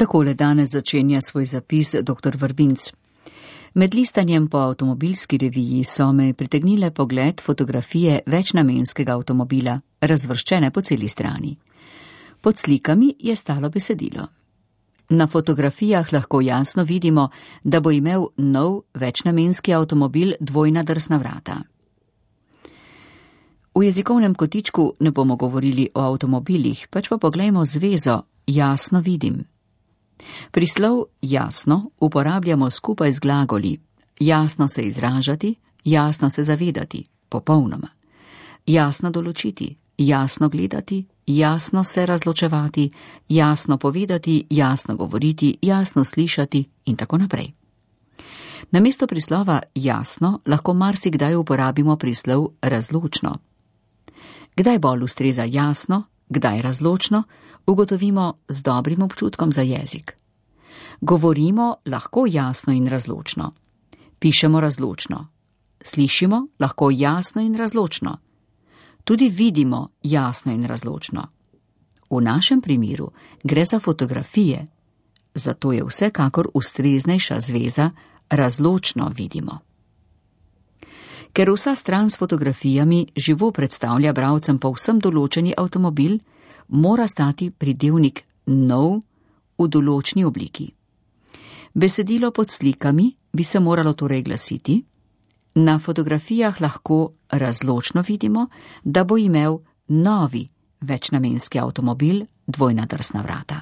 Takole danes začenja svoj zapis dr. Vrbinc. Med listanjem po avtomobilski reviji so me pritegnile pogled fotografije večnamenskega avtomobila, razvrščene po celi strani. Pod slikami je stalo besedilo. Na fotografijah lahko jasno vidimo, da bo imel nov večnamenski avtomobil dvojna drsna vrata. V jezikovnem kotičku ne bomo govorili o avtomobilih, pač pa poglejmo zvezo jasno vidim. Prislov jasno uporabljamo skupaj z glagoli jasno se izražati, jasno se zavedati, popolnoma. Jasno določiti, jasno gledati, jasno se razločevati, jasno povedati, jasno govoriti, jasno slišati in tako naprej. Namesto prislova jasno lahko marsikdaj uporabimo prislov razločno. Kdaj bolj ustreza jasno, kdaj razločno, ugotovimo z dobrim občutkom za jezik. Govorimo lahko jasno in razločno. Pišemo razločno. Slišimo lahko jasno in razločno. Tudi vidimo jasno in razločno. V našem primeru gre za fotografije, zato je vsekakor ustreznejša zveza razločno vidimo. Ker vsa stran s fotografijami živo predstavlja bralcem povsem določeni avtomobil, mora stati pridevnik nov v določni obliki. Besedilo pod slikami bi se moralo torej glasiti: na fotografijah lahko razločno vidimo, da bo imel novi večnamenski avtomobil dvojna drsna vrata.